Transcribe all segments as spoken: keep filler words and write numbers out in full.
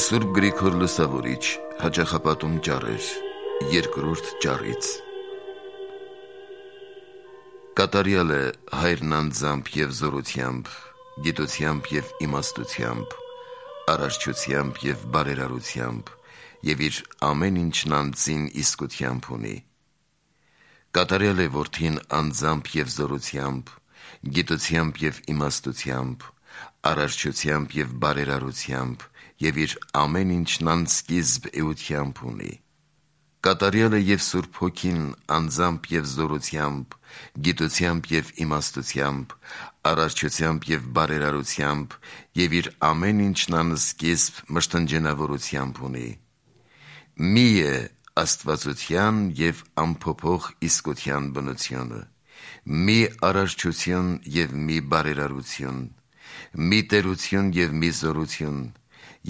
Սուրբ Գրիգոր Լուսավորիչ, հաճախապատում ճառեր, երկրորդ ճառից։ Կատարյալ է Հայրն անձամբ և զորությամբ, գիտությամբ և իմաստությամբ, արարչությամբ և բարերարությամբ, և իր ամեն ինչն անձին իսկությամբ ունի։ Կատարյալ է Որդին անձամբ և զորությամբ, գիտությամբ և իմաստությամբ, արարչությամբ և բարերարությամբ, և իր ամեն ինչն անսկիզբ էությամբ ունի։ Կատարյալ է և Սուրբ Հոգին անձամբ և զորությամբ, գիտությամբ և իմաստությամբ, արարչությամբ և բարերարությամբ, և իր ամեն ինչն անսկիզբ մշտնջենավորությամբ ունի։ Մի է աստվածության և անփոփոխ իսկության բնությունը, մի արարչություն և մի բարերարություն, մի տերություն և մի զորություն,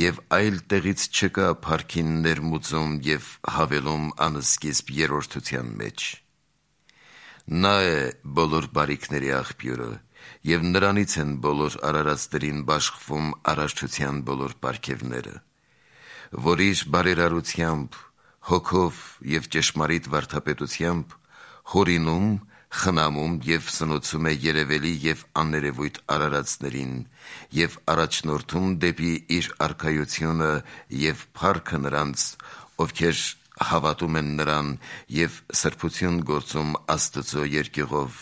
և այլ տեղից չկա փառքին ներմուծում և հավելում անսկիզբ երրորդության մեջ։ Նա է բոլոր բարիքների աղբյուրը, և նրանից են բոլոր արարածներին բաշխվում արարչության բոլոր պարգևները, որ իր բարերարությամբ, հոգով և ճշմարիտ վարդապետությամբ հորինում, խնամում և սնուցում է երևելի և աներևույթ արարածներին և առաջնորդում դեպի իր արքայությունը և փառքը նրանց, ովքեր հավատում են նրան և սրբություն գործում Աստծո երկյուղով,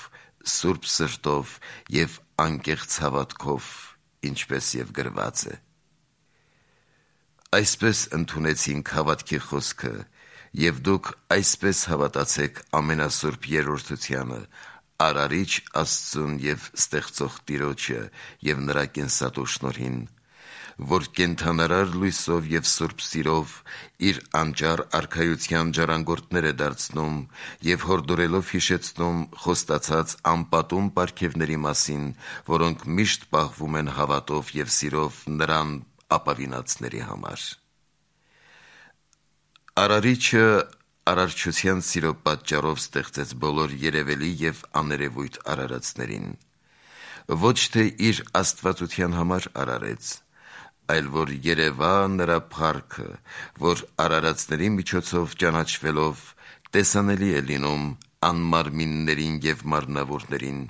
սուրբ սրտով և անկեղծ հավատքով, ինչպես և գրված է. Այսպես ընդունեցինք հավատքի խոսքը, և դուք այսպես հավատացեք ամենասուրբ երրորդությանը, Արարիչ Աստծուն և ստեղծող Տիրոջը և նրա կենսատու շնորհին, որ կենդանարար լույսով և սուրբ սիրով իր անճառ արքայության ժառանգորդներ է դարձնում և հորդորելով հիշեցնում խոստացած անպատում պարգևների մասին, որոնք միշտ պահվում են հավատով և սիրով նրան ապավինածների համար։ Արարիչը արարչության սիրո պատճառով ստեղծեց բոլոր երևելի և աներևույթ արարածներին, ոչ թե իր աստվածության համար արարեց, այլ որ երևա նրա փառքը, որ արարածների միջոցով ճանաչվելով տեսանելի է լինում անմարմիններին և մարմնավորներին,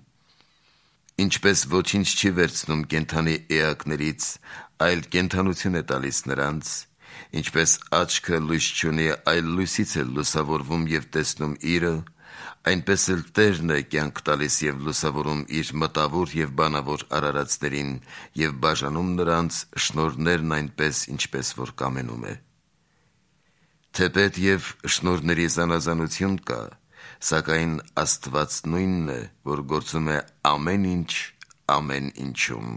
ինչպես ոչինչ չի վերցնում կենդանի էակներից, այլ կենդանություն է տալիս նրանց, ինչպես աչքը լույս չունի, այլ լույսից է լուսավորվում և տեսնում իրը, այնպես էլ Տերն է կյանք տալիս և լուսավորում իր մտավոր և բանավոր արարածներին և բաժանում նրանց շնորհներն այնպես, ինչպես որ կամենում է։ Թեպետ և շնորհների զանազանություն կա, սակայն Աստված նույնն է, որ գործում է ամեն ինչ ամեն ինչում։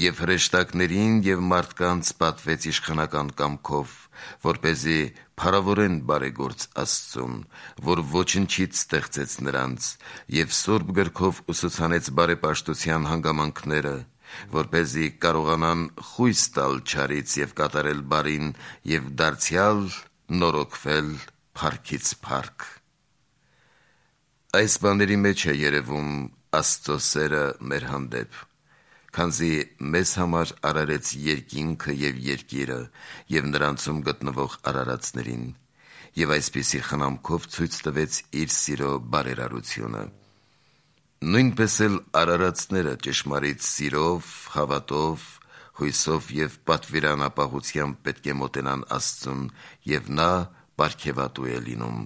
Եվ հրեշտակներին և մարդկանց պատվեց իշխանական կամքով, որպեսզի փառավորեն բարեգործ Աստծուն, որ ոչնչից ստեղծեց նրանց, և սուրբ գրքով ուսուցանեց բարեպաշտության հանգամանքները, որպեսզի կարողանան խույս տալ չարից և կատարել բարին և դարձյալ նորոգվել փառքից փառք։ Այս բաների մեջ է երևում Աստծո սերը մեր հանդեպ, քանզի մեզ համար արարեց երկինքը և երկիրը և նրանցում գտնվող արարածներին, և այսպիսի խնամքով ցույց տվեց իր սիրո բարերարությունը։ Նույնպես էլ արարածները ճշմարիտ սիրով, հավատով, հույսով և պատվիրանապահությամբ պետք է մոտենան Աստծուն, և նա պարգևատու է լինում,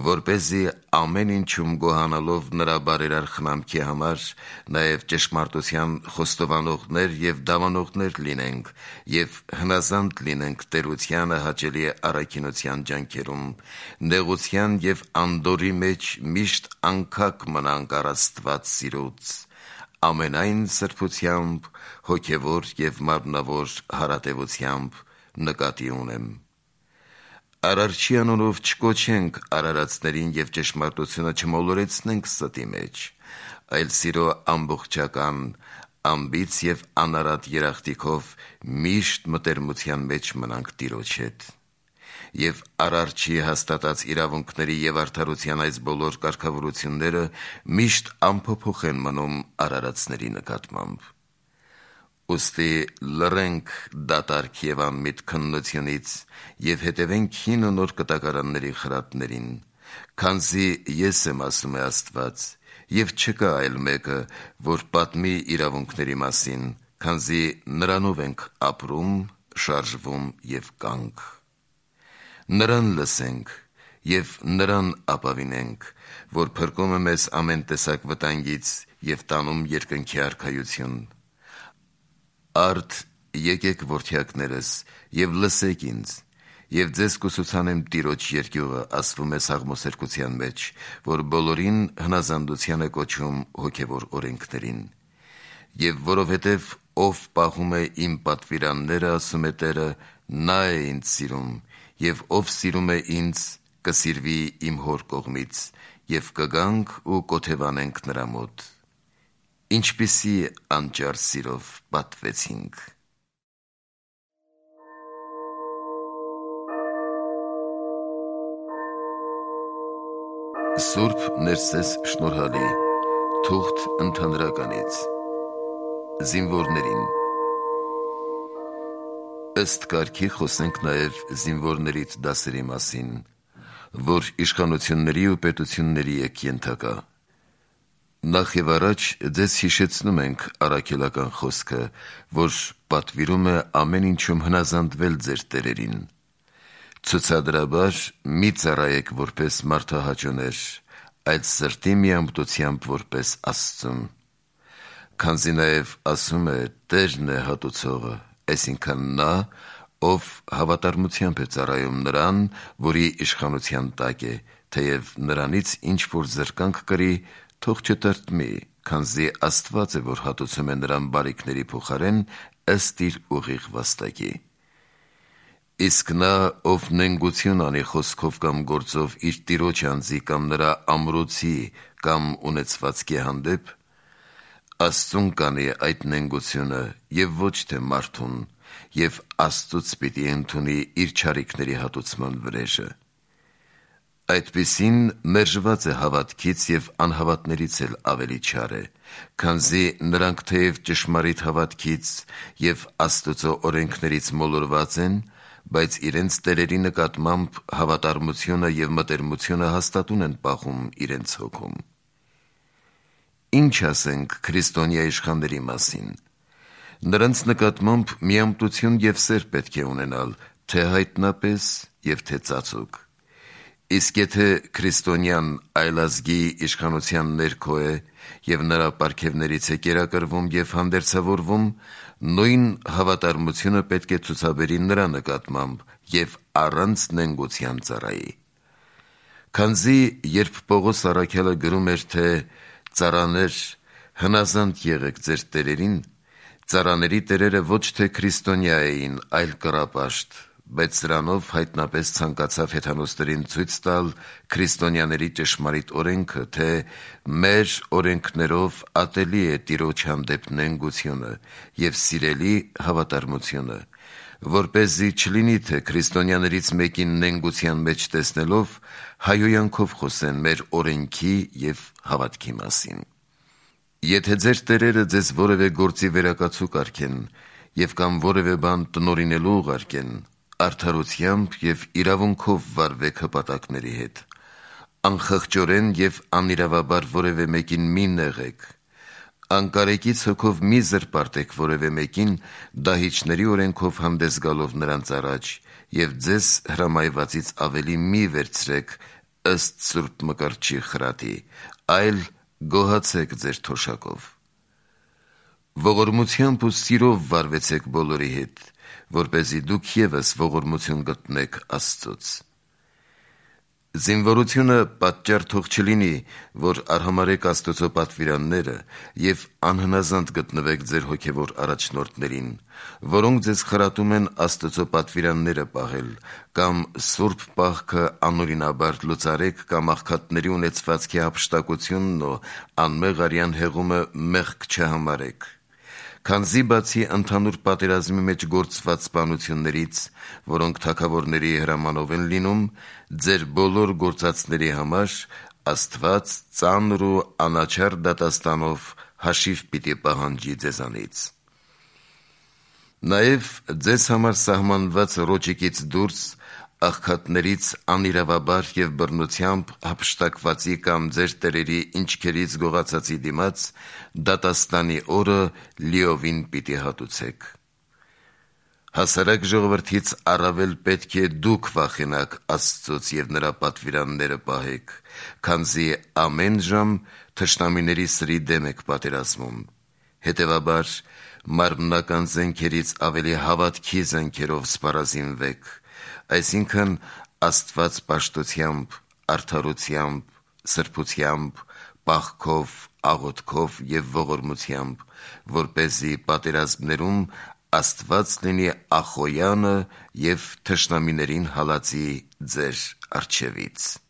որպեսզի ամեն ինչում գոհանալով նրա բարերար խնամքի համար, նաև ճշմարտության խոստովանողներ և դավանողներ լինենք և հնազանդ լինենք տերությանը հաճելի առաքինության ջանքերում, նեղության և անդորրի մեջ միշտ անքակ մնանք առ Աստված սիրուց, ամենայն սրբությամբ, հոգևոր և մարմնավոր հարատևությամբ նկատի ունեմ։ Արարչի անունով չկոչենք արարածներին և ճշմարտությունը չմոլորեցնենք ստի մեջ, այլ սիրո ամբողջական, անբիծ և անարատ երախտիկով միշտ մտերմության մեջ մնանք Տիրոջ հետ։ Եվ Արարչի հաստատած իրավունքների և արդարության այս բոլոր կարգավորությունները միշտ անփոփոխ են մնում արարածների նկատմամբ։ Ուստի լռենք դատարկ և անմիտ քննությունից և հետևենք հին ու նոր կտակարանների խրատներին, քանզի ես եմ, ասում է Աստված, և չկա այլ մեկը, որ պատմի իրավունքների մասին, քանզի նրանով ենք ապրում, շարժվում և կանք։ Նրան լսենք և նրան ապավինենք, որ փրկում է մեզ ամեն տեսակ վտանգից և տանում երկնքի արքայություն։ Արդ եկեք որդյակներս և լսեք ինձ, և ձեզ կուսուցանեմ Տիրոջ երկյուղը, ասվում է Սաղմոսերկության մեջ, որ բոլորին հնազանդության է կոչում հոգևոր օրենքներին։ Եվ որովհետև ով պահում է իմ պատվիրանները, ասում է Տերը, նա է ինձ սիրում, և ով սիրում է ինձ, կսիրվի իմ Հոր կողմից, և կգանք ու կօթևանենք նրա մոտ։ Ինչպիսի անճար սիրով պատվեցինք։ Սուրբ Ներսես շնորհալի թուղթ ընդհանրականից Զինվորներին Ըստ կարգի խոսենք նաև զինվորներիդ դասերի մասին, որ իշխանությունների ու պետությունների եք ենթակա։ Նախ և առաջ ձեզ հիշեցնում ենք առաքելական խոսքը, որ պատվիրում է ամեն ինչում հնազանդվել ձեր տերերին։ Ցուցադրաբար մի ծառայեք որպես մարդահաճոներ, այլ սրտի միամտությամբ որպես Աստծուն։ Քանզի նաև ասում է Տերն է հատուցողը, այսինքն նա, ով հավատարմությամբ է ծառայում նրան, որի իշխանության տակ է, թեև նրանից ինչ-որ զրկանք կրի, թող չտրտմի, քանզի Աստված է, որ հատուցում է նրան բարիքների փոխարեն ըստ իր ուղիղ վաստակի։ Իսկ նա, ով նենգություն անի խոսքով կամ գործով իր տիրոջ անձի կամ նրա ամրոցի կամ ունեցվածքի հանդեպ, Աստծուն կանի այդ նենգությունը և ոչ թե մարդուն, և Աստծուց պիտի ընդունի իր չարիքների հատուցման վրեժը։ Այդպիսին մերժված է հավատքից և անհավատներից էլ ավելի չար է, քանզի նրանք թեև ճշմարիտ հավատքից և Աստծո օրենքներից մոլորված են, բայց իրենց տերերի նկատմամբ հավատարմությունը և մտերմությունը հաստատուն են պահում իրենց հոգում։ Ինչ ասենք քրիստոնյա իշխանների մասին։ Նրանց նկատմամբ միամտություն և սեր պետք է ունենալ, թե հայտնապես և թե ծածուկ։ Իսկ եթե քրիստոնյան այլազգի իշխանության ներքո է և նրա պարգևներից է կերակրվում և հանդերձավորվում, նույն հավատարմությունը պետք է ցուցաբերի նրա նկատմամբ և առանց նենգության ծառայի։ Քանզի երբ Պողոս առաքյալը գրում էր, թե «Ծառաներ, հնազանդ եղեք ձեր տերերին», ծառաների տերերը ոչ թե քրիստոնյա էին, այլ կռապաշտ, բայց սրանով հայտնապես ցանկացավ հեթանոսներին ցույց տալ քրիստոնյաների ճշմարիտ օրենքը, թե մեր օրենքներով ատելի է Տիրոջ հանդեպ նենգությունը և սիրելի հավատարմությունը, որպեսզի չլինի, թե քրիստոնյաներից մեկին նենգության մեջ տեսնելով հայհոյանքով խոսեն մեր օրենքի և հավատքի մասին։ Եթե ձեր տերերը ձեզ որևէ գործի վերակացու կարգեն և կամ որևէ բան տնօրինելու ուղարկեն, արդարությամբ և իրավունքով վարվեք հպատակների հետ։ Անխղճորեն և անիրավաբար որևէ մեկին մի նեղեք։ Անկարեկից հոգով մի զրպարտեք որևէ մեկին, դահիճների օրենքով հանդես գալով նրանց առաջ, և ձեզ հրամայվածից ավելի մի վերցրեք ըստ Սուրբ Մկրտչի խրատի, այլ գոհացեք ձեր թոշակով։ Ողորմությամբ ու սիրով վարվեցեք բոլորի հետ, որպեսզի դուք ևս ողորմություն գտնեք Աստծուց։ Զինվորությունը պատճառ թող չլինի, որ արհամարհեք Աստծո պատվիրանները և անհնազանդ գտնվեք ձեր հոգևոր առաջնորդներին, որոնք ձեզ խրատում են Աստծո պատվիրանները պահել, կամ սուրբ պահքը անօրինաբար լուծարեք, կամ աղքատների ունեցվածքի հափշտակությունն ու անմեղ արյան հեղումը մեղք չհամարեք։ Քանզի բացի ընդհանուր պատերազմի մեջ գործված սպանություններից, որոնք թագավորների հրամանով են լինում, ձեր բոլոր գործածների համար Աստված ծանր ու անաչառ դատաստանով հաշիվ պիտի պահանջի ձեզանից։ Նաև ձեզ համար սահմանված ռոճիկից դուրս աղքատներից անիրավաբար և բռնությամբ հափշտակվածի կամ ձեր տերերի ինչքերից գողացածի դիմաց դատաստանի օրը լիովին պիտի հատուցեք: Հասարակ ժողովրդից առավել պետք է դուք վախենաք Աստծուց և նրա պատվիրանները պահեք, քանզի ամեն ժամ թշնամիների սրի դեմ եք պատերազմում: Հետևաբար, մարմնական զենքերից ավելի հավատքի զենքերով սպառազինվեք, այսինքն Աստված պաշտությամբ, արդարությամբ, սրբությամբ, պաղքով, աղոթքով և ողորմությամբ, որպեսզի պատերազմներում Աստված լինի Ախոյանը և թշնամիներին հալածի ձեր առջևից: